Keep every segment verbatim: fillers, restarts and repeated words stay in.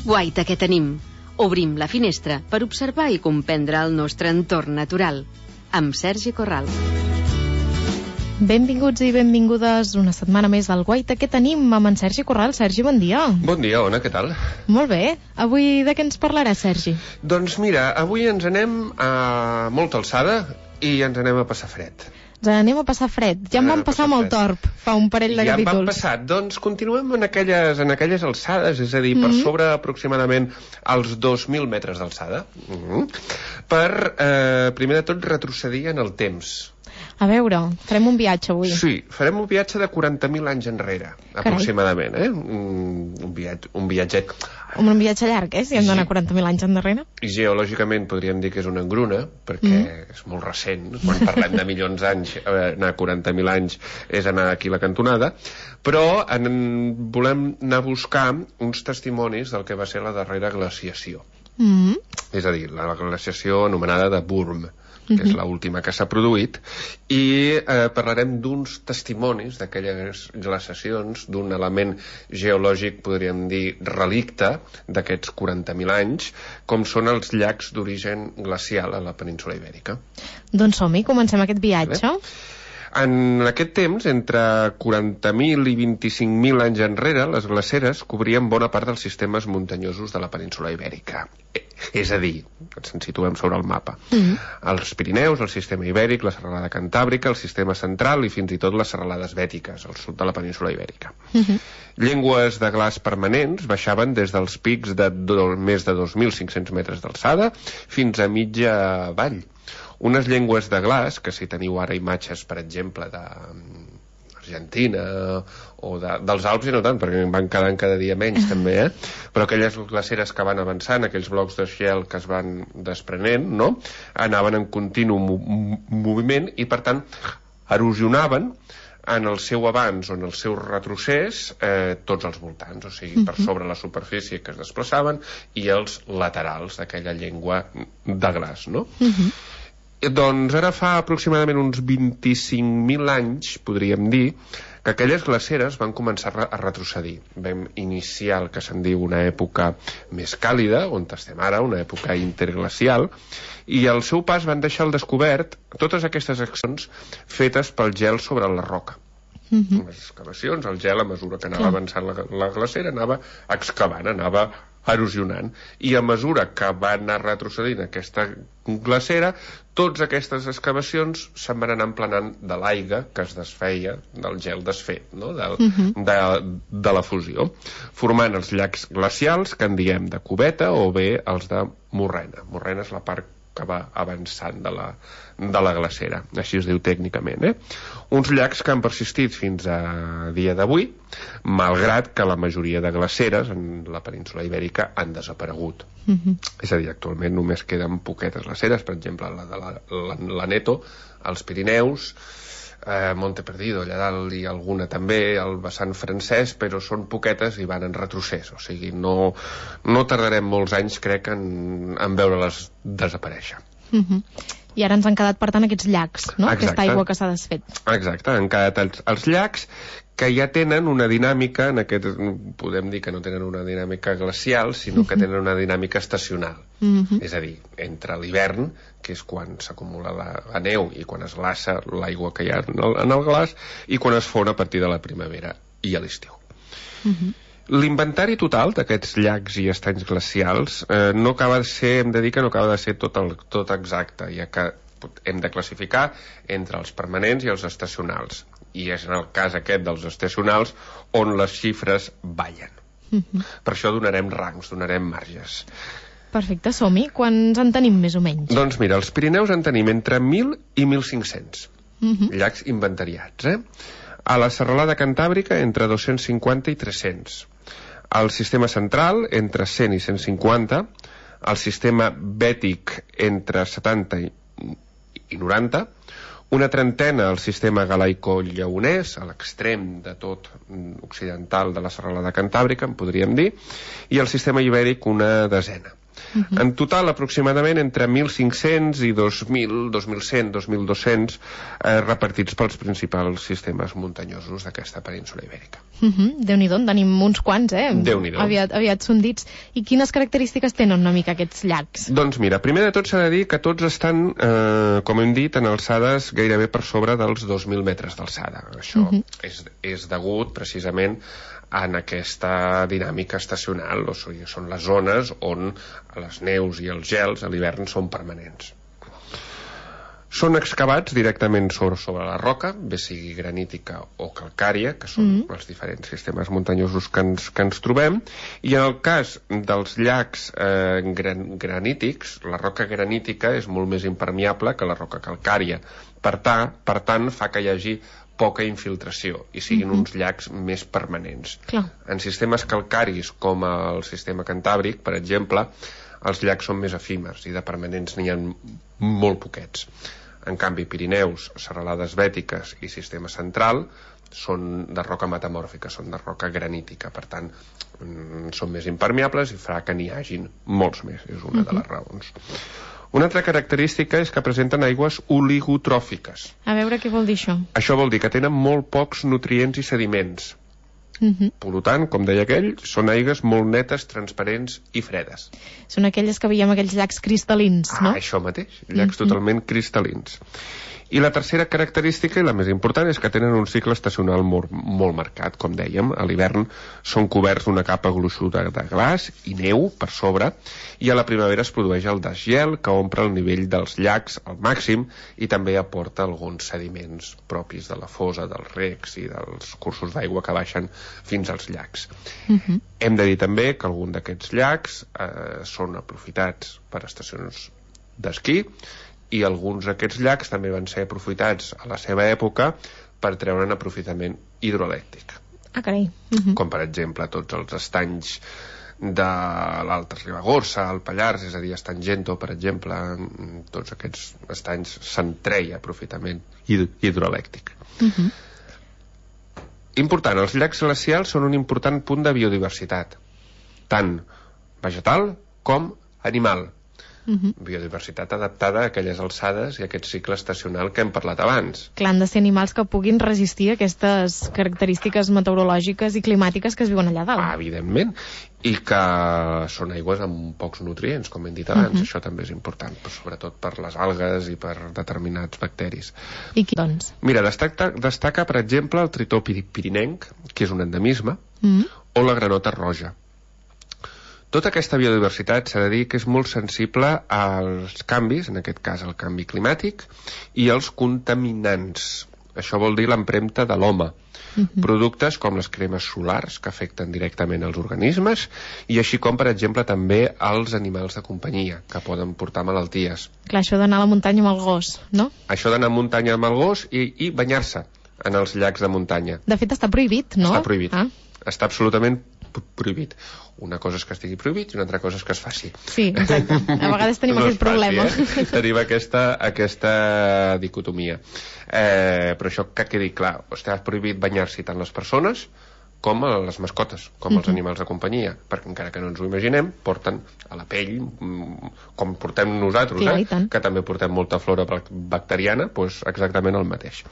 Guaita que tenim. Obrim la finestra per observar i comprendre el nostre entorn natural. Amb Sergi Corral. Benvinguts i benvingudes una setmana més al Guaita que tenim amb en Sergi Corral. Sergi, bon dia. Bon dia, Ona, què tal? Molt bé. Avui de què ens parlarà, Sergi? Doncs mira, avui ens anem a molta alçada i ens anem a passar fred. Ens anem a passar fred. Ja en vam passar amb el Torb fa un parell de ja capítols. Ja en vam passar. Doncs continuem en aquelles, en aquelles alçades, és a dir, per mm -hmm. sobre aproximadament els dos mil metres d'alçada. Mm -hmm. Per, eh, primer de tot, retrocedir en el temps. A veure, farem un viatge avui. Sí, farem un viatge de quaranta mil anys enrere, Carai. aproximadament, eh? Un, un, viatge, un viatget... Un viatge llarg, eh? Si hem d'anar quaranta mil anys endarrere. I geològicament podríem dir que és una engruna, perquè mm. és molt recent. Quan parlem de milions d'anys, anar quaranta mil anys és anar aquí a la cantonada. Però en, volem anar a buscar uns testimonis del que va ser la darrera glaciació. Mm. És a dir, la glaciació anomenada de Würm, que és l'última que s'ha produït, i eh, parlarem d'uns testimonis d'aquelles glaciacions, d'un element geològic, podríem dir, relicte d'aquests quaranta mil anys, com són els llacs d'origen glacial a la península Ibèrica. Doncs som-hi, comencem aquest viatge. Bé. En aquest temps, entre quaranta mil i vint-i-cinc mil anys enrere, les glaceres cobrien bona part dels sistemes muntanyosos de la península Ibèrica. És a dir, ens en situem sobre el mapa. Mm-hmm. Els Pirineus, el sistema Ibèric, la serralada Cantàbrica, el sistema central i fins i tot les serralades bètiques, al sud de la península Ibèrica. Mm-hmm. Llengües de glaç permanents baixaven des dels pics de do, més de dos mil cinc-cents metres d'alçada fins a mitja vall. Unes llengües de glaç, que si teniu ara imatges, per exemple, d'Argentina o de, dels Alps, i no tant, perquè en van quedant cada dia menys, també, eh? Però aquelles glaceres que van avançant, aquells blocs de gel que es van desprenent, no?, anaven en continu mo moviment i, per tant, erosionaven en el seu avanç o en el seu retrocés eh, tots els voltants, o sigui, per sobre la superfície que es desplaçaven i els laterals d'aquella llengua de glaç, no? Uh-huh. Doncs ara fa aproximadament uns vint-i-cinc mil anys, podríem dir, que aquelles glaceres van començar a retrocedir. Vam iniciar el que se'n diu una època més càlida, on estem ara, una època interglacial, i al seu pas van deixar al descobert totes aquestes accions fetes pel gel sobre la roca. Uh-huh. Les excavacions, el gel, a mesura que anava avançant la, la glacera, anava excavant, anava erosionant, i a mesura que va anar retrocedint aquesta glacera, totes aquestes excavacions se'n van anar emplenant de l'aigua que es desfeia del gel desfet, no? de, uh-huh. de, de la fusió, formant els llacs glacials, que en diem de cubeta, o bé els de morrena. Morrena és la part que va avançant de la, de la glacera, així es diu tècnicament, eh? Uns llacs que han persistit fins a dia d'avui, malgrat que la majoria de glaceres en la península Ibèrica han desaparegut. Uh-huh. És a dir, actualment només queden poquetes glaceres, per exemple, la de la, la, la Neto, els Pirineus, eh, Monte Perdido, allà dalt, i alguna també al vessant francès, però són poquetes i van en retrocés, o sigui, no, no tardarem molts anys, crec, en, en veure-les desaparèixer. Uh-huh. I ara ens han quedat, per tant, aquests llacs, no? Exacte. Aquesta aigua que s'ha desfet. Exacte, han quedat els, els llacs que ja tenen una dinàmica, en aquest, podem dir que no tenen una dinàmica glacial, sinó que tenen una dinàmica estacional. Uh-huh. És a dir, entre l'hivern, que és quan s'acumula la, la neu i quan es glaça l'aigua que hi ha en el, en el glaç, i quan es fon a partir de la primavera i a l'estiu. Uh-huh. L'inventari total d'aquests llacs i estanys glacials eh, no acaba de ser, hem de dir que no acaba de ser tot, el, tot exacte, ja que hem de classificar entre els permanents i els estacionals. I és en el cas aquest dels estacionals on les xifres ballen. Uh-huh. Per això donarem rangs, donarem marges. Perfecte, som-hi. Quants en tenim més o menys? Doncs mira, els Pirineus en tenim entre mil i mil cinc-cents uh-huh. llacs inventariats, eh? A la serralada Cantàbrica entre dos-cents cinquanta i tres-cents. Al sistema central entre cent i cent cinquanta. Al sistema bètic entre setanta i noranta. Una trentena al sistema galaico-lleonès, a l'extrem de tot occidental de la serralada Cantàbrica, en podríem dir, i al sistema ibèric una desena. Uh-huh. En total, aproximadament entre mil cinc-cents i dos mil, dos mil cent, dos mil dos-cents eh, repartits pels principals sistemes muntanyosos d'aquesta península ibèrica. Uh-huh. Déu-n'hi-do, en tenim uns quants, eh? Déu-n'hi-do. Aviat, aviat són dits. I quines característiques tenen una mica aquests llacs? Doncs mira, primer de tot s'ha de dir que tots estan, eh, com hem dit, en alçades gairebé per sobre dels dos mil metres d'alçada. Això uh-huh. és, és degut precisament en aquesta dinàmica estacional, o sigui, són les zones on les neus i els gels a l'hivern són permanents. Són excavats directament sobre, sobre la roca, bé sigui granítica o calcària, que són mm. els diferents sistemes muntanyosos que ens, que ens trobem, i en el cas dels llacs eh, gran, granítics, la roca granítica és molt més impermeable que la roca calcària. Per, ta, per tant, fa que hi hagi poca infiltració i siguin mm-hmm. uns llacs més permanents. Clar. En sistemes calcaris, com el sistema cantàbric, per exemple, els llacs són més efímers i de permanents n'hi ha molt poquets. En canvi, Pirineus, serralades bètiques i sistema central són de roca metamòrfica, són de roca granítica, per tant, són més impermeables i farà que n'hi hagin molts més, és una mm-hmm. de les raons. Una altra característica és que presenten aigües oligotròfiques. A veure què vol dir això. Això vol dir que tenen molt pocs nutrients i sediments. Uh-huh. Per tant, com deia aquell, són aigües molt netes, transparents i fredes. Són aquelles que veiem aquells llacs cristal·lins, no? Ah, això mateix, llacs uh-huh. totalment cristal·lins. I la tercera característica, i la més important, és que tenen un cicle estacional molt, molt marcat, com dèiem. A l'hivern són coberts d'una capa gruixuda de glaç i neu per sobre, i a la primavera es produeix el desgel, que omple el nivell dels llacs al màxim i també aporta alguns sediments propis de la fosa, dels recs i dels cursos d'aigua que baixen fins als llacs. Uh-huh. Hem de dir també que algun d'aquests llacs eh, són aprofitats per estacions d'esquí, i alguns d'aquests llacs també van ser aprofitats a la seva època per treure'n aprofitament hidroelèctric. Ah, carai. Uh-huh. Com, per exemple, tots els estanys de l'Alta Ribagorça, el Pallars, és a dir, Estany Gento, per exemple, tots aquests estanys se'n treia aprofitament hid- hidroelèctric. Uh-huh. Important, els llacs glacials són un important punt de biodiversitat, tant vegetal com animal. Uh-huh. Biodiversitat adaptada a aquelles alçades i a aquest cicle estacional que hem parlat abans. Clar, han de ser animals que puguin resistir aquestes característiques meteorològiques i climàtiques que es viuen allà dalt. Ah, evidentment. I que són aigües amb pocs nutrients, com hem dit abans. Uh-huh. Això també és important, però sobretot per les algues i per determinats bacteris. I qui, doncs? Mira, destaca, destaca per exemple, el tritó pirinenc, que és un endemisme, uh-huh. o la granota roja. Tota aquesta biodiversitat s'ha de dir que és molt sensible als canvis, en aquest cas al canvi climàtic, i als contaminants. Això vol dir l'empremta de l'home. Uh-huh. Productes com les cremes solars, que afecten directament els organismes, i així com, per exemple, també els animals de companyia, que poden portar malalties. Clar, això d'anar a la muntanya amb el gos, no? Això d'anar a muntanya amb el gos i, i banyar-se en els llacs de muntanya. De fet, està prohibit, no? Està prohibit. Ah. Està absolutament prohibit. Una cosa és que estigui prohibit i una altra cosa és que es faci. Sí, exacte. A vegades tenim no aquest problema. Faci, eh? Tenim aquesta, aquesta dicotomia. Eh, però això que quedi clar. Està prohibit banyar-s'hi tant les persones com a les mascotes, com mm-hmm. els animals de companyia, perquè encara que no ens ho imaginem, porten a la pell, com portem nosaltres, sí, eh? que també portem molta flora bacteriana, doncs exactament el mateix.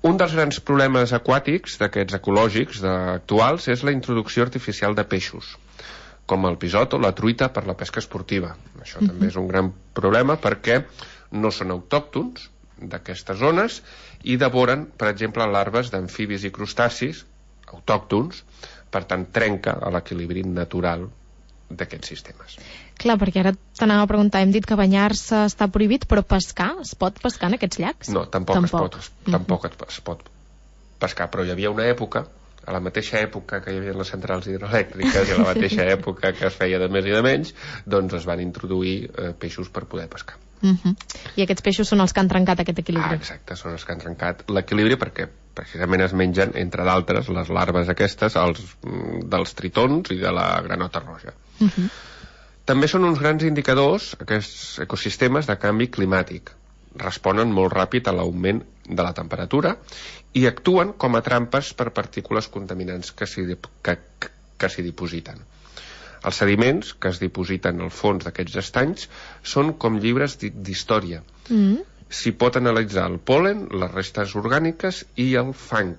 Un dels grans problemes aquàtics, d'aquests ecològics de, actuals, és la introducció artificial de peixos, com el pisot o la truita per la pesca esportiva. Això mm-hmm. també és un gran problema perquè no són autòctons d'aquestes zones i devoren, per exemple, larves d'amfibis i crustacis autòctons, per tant trenca l'equilibri natural d'aquests sistemes. Clar, perquè ara t'anava a preguntar, hem dit que banyar-se està prohibit, però pescar? Es pot pescar en aquests llacs? No, tampoc, tampoc. Es, pot, tampoc mm-hmm. es pot pescar, però hi havia una època, a la mateixa època que hi havia les centrals hidroelèctriques i a la mateixa època que es feia de més i de menys, doncs es van introduir eh, peixos per poder pescar. Mm-hmm. I aquests peixos són els que han trencat aquest equilibri? Ah, exacte, són els que han trencat l'equilibri perquè precisament es mengen, entre d'altres, les larves aquestes els, dels tritons i de la granota roja. Mm-hmm. També són uns grans indicadors, aquests ecosistemes, de canvi climàtic. Responen molt ràpid a l'augment de la temperatura i actuen com a trampes per partícules contaminants que s'hi que, que s'hi dipositen. Els sediments que es dipositen al fons d'aquests estanys són com llibres d'història. Mm. S'hi pot analitzar el pol·len, les restes orgàniques i el fang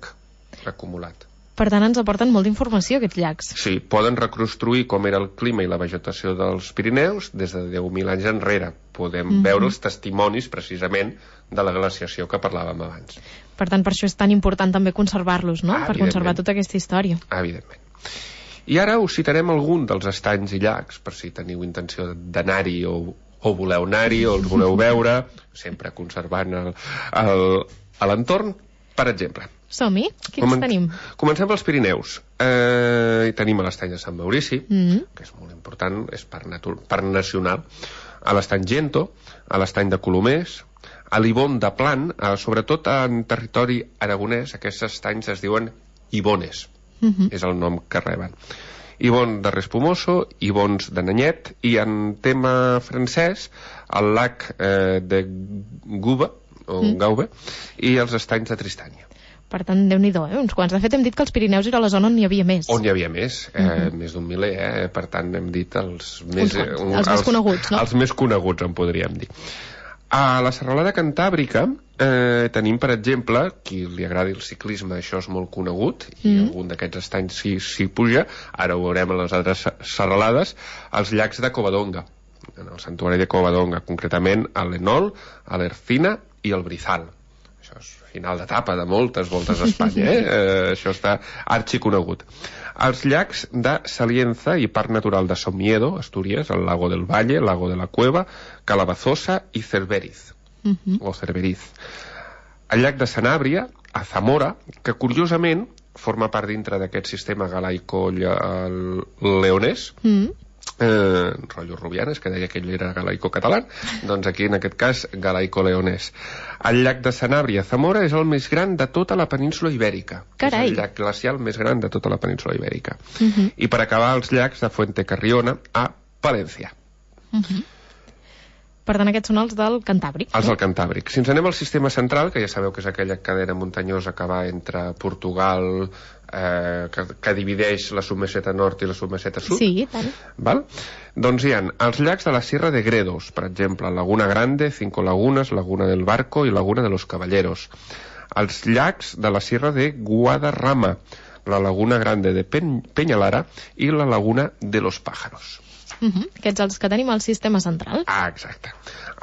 acumulat. Per tant, ens aporten molta informació aquests llacs. Sí, poden reconstruir com era el clima i la vegetació dels Pirineus des de deu mil anys enrere. Podem mm-hmm. veure els testimonis, precisament, de la glaciació que parlàvem abans. Per tant, per això és tan important també conservar-los, no? Ah, per conservar tota aquesta història. Evidentment. I ara us citarem algun dels estanys i llacs, per si teniu intenció d'anar-hi o, o voleu anar-hi o els voleu veure, sempre conservant l'entorn. Per exemple, som-hi? Quins Comen tenim? Comencem pels Pirineus. Eh, tenim a l'estany de Sant Maurici, mm-hmm. que és molt important, és parc, parc nacional, a l'estany Gento, a l'estany de Colomers, a l'Ibon de Plan, eh, sobretot en territori aragonès, aquests estanys es diuen Ibones, mm-hmm. és el nom que reben. Ibon de Respumoso, Ibons de Nanyet, i en tema francès, el lac eh, de Gouba, o mm. Gaube, i els estanys de Tristània. Per tant, Déu-n'hi-do, eh? Uns quants. De fet, hem dit que els Pirineus era la zona on n'hi havia més. On hi havia més, eh, mm-hmm. més d'un miler, eh? Per tant, hem dit els més... Eh, un, els, els més coneguts, no? Els més coneguts, en podríem dir. A la serralada cantàbrica eh, tenim, per exemple, qui li agradi el ciclisme, això és molt conegut, i mm. algun d'aquests estanys s'hi si puja, ara ho veurem a les altres serralades, els llacs de Covadonga, en el santuari de Covadonga, concretament a l'Enol, a l'Ercina i el Brizal. Això és final d'etapa de moltes voltes a Espanya, eh? eh això està arxiconegut. Els llacs de Salienza i Parc Natural de Somiedo, Astúries, el Lago del Valle, el Lago de la Cueva, Calabazosa i Cerberiz, uh-huh. o Cerberiz. El llac de Sanàbria, a Zamora, que curiosament forma part dintre d'aquest sistema galaico-leonès, uh-huh. Eh, rotllo Rubianes, que deia que ell era galaico-català, doncs aquí en aquest cas galaico-leonès. El llac de Sanàbria a Zamora és el més gran de tota la península ibèrica. Carai. És el llac glacial més gran de tota la península ibèrica. Uh-huh. I per acabar, els llacs de Fuente Carriona a Palència. Uh-huh. Per tant, aquests són els del Cantàbric. Els del Cantàbric. Si ens anem al sistema central, que ja sabeu que és aquella cadena muntanyosa que va entre Portugal, eh, que, que divideix la submeseta nord i la submeseta sud. Sí, tant. Val? Doncs hi ha els llacs de la Sierra de Gredos, per exemple, Laguna Grande, Cinco Lagunas, Laguna del Barco i Laguna de los Caballeros. Els llacs de la Sierra de Guadarrama, la Laguna Grande de Pen Peñalara i la Laguna de los Pájaros. Uh-huh. Aquests els que tenim al sistema central. Ah, exacte.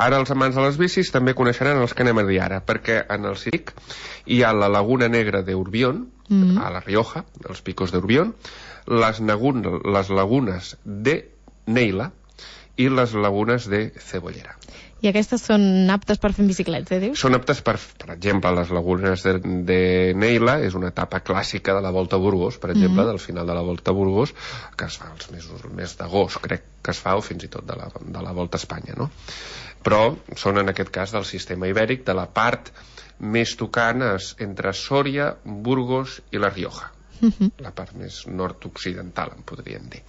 Ara els amants de les bicis també coneixeran els que anem a dir ara, perquè en el Cic hi ha la Laguna Negra d'Urbión, uh-huh. a la Rioja, els picos d'Urbión, les, les lagunes de Neila i les lagunes de Cebollera. I aquestes són aptes per fer en bicicleta, eh, dius? Són aptes per, per exemple, les lagunes de, de Neila és una etapa clàssica de la Volta a Burgos, per exemple, mm-hmm. del final de la Volta a Burgos, que es fa els mesos, el mes d'agost, crec que es fa, o fins i tot de la, de la Volta a Espanya, no? Però són, en aquest cas, del sistema ibèric, de la part més tocant entre Sòria, Burgos i la Rioja. Mm-hmm. La part més nord-occidental, en podríem dir.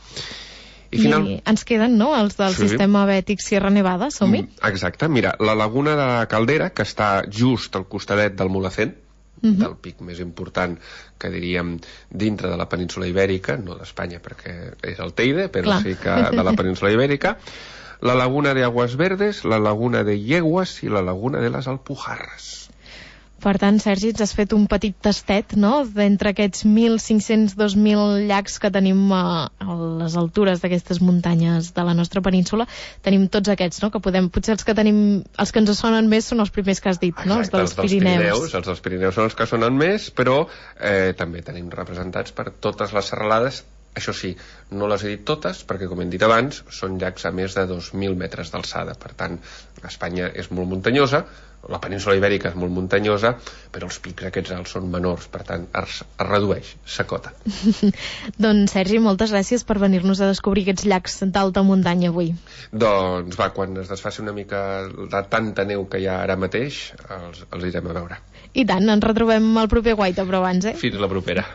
I, final... I ens queden, no?, els del sí. sistema bètic Sierra Nevada, som-hi? Exacte, mira, la Laguna de la Caldera, que està just al costadet del Mulhacén, uh-huh. del pic més important, que diríem, dintre de la península ibèrica, no d'Espanya perquè és el Teide, però Clar. sí que de la península ibèrica, la Laguna de Aguas Verdes, la Laguna de Yeguas i la Laguna de les Alpujarras. Per tant, Sergi, ens has fet un petit tastet, no?, d'entre aquests mil cinc-cents dos mil llacs que tenim a, a les altures d'aquestes muntanyes de la nostra península. Tenim tots aquests, no?, que podem... Potser els que tenim... Els que ens sonen més són els primers que has dit, Exacte, no?, els dels, els dels Pirineus. Pirineus. Els dels Pirineus són els que sonen més, però eh, també tenim representats per totes les serralades. Això sí, no les he dit totes, perquè, com hem dit abans, són llacs a més de dos mil metres d'alçada. Per tant, Espanya és molt muntanyosa, la península ibèrica és molt muntanyosa, però els pics aquests alts són menors, per tant, es, es redueix, s'acota. Doncs, Sergi, moltes gràcies per venir-nos a descobrir aquests llacs d'alta muntanya avui. Doncs va, quan es desfaci una mica de tanta neu que hi ha ara mateix, els, els irem a veure. I tant, ens retrobem al proper Guaita, però abans, eh? Fins la propera.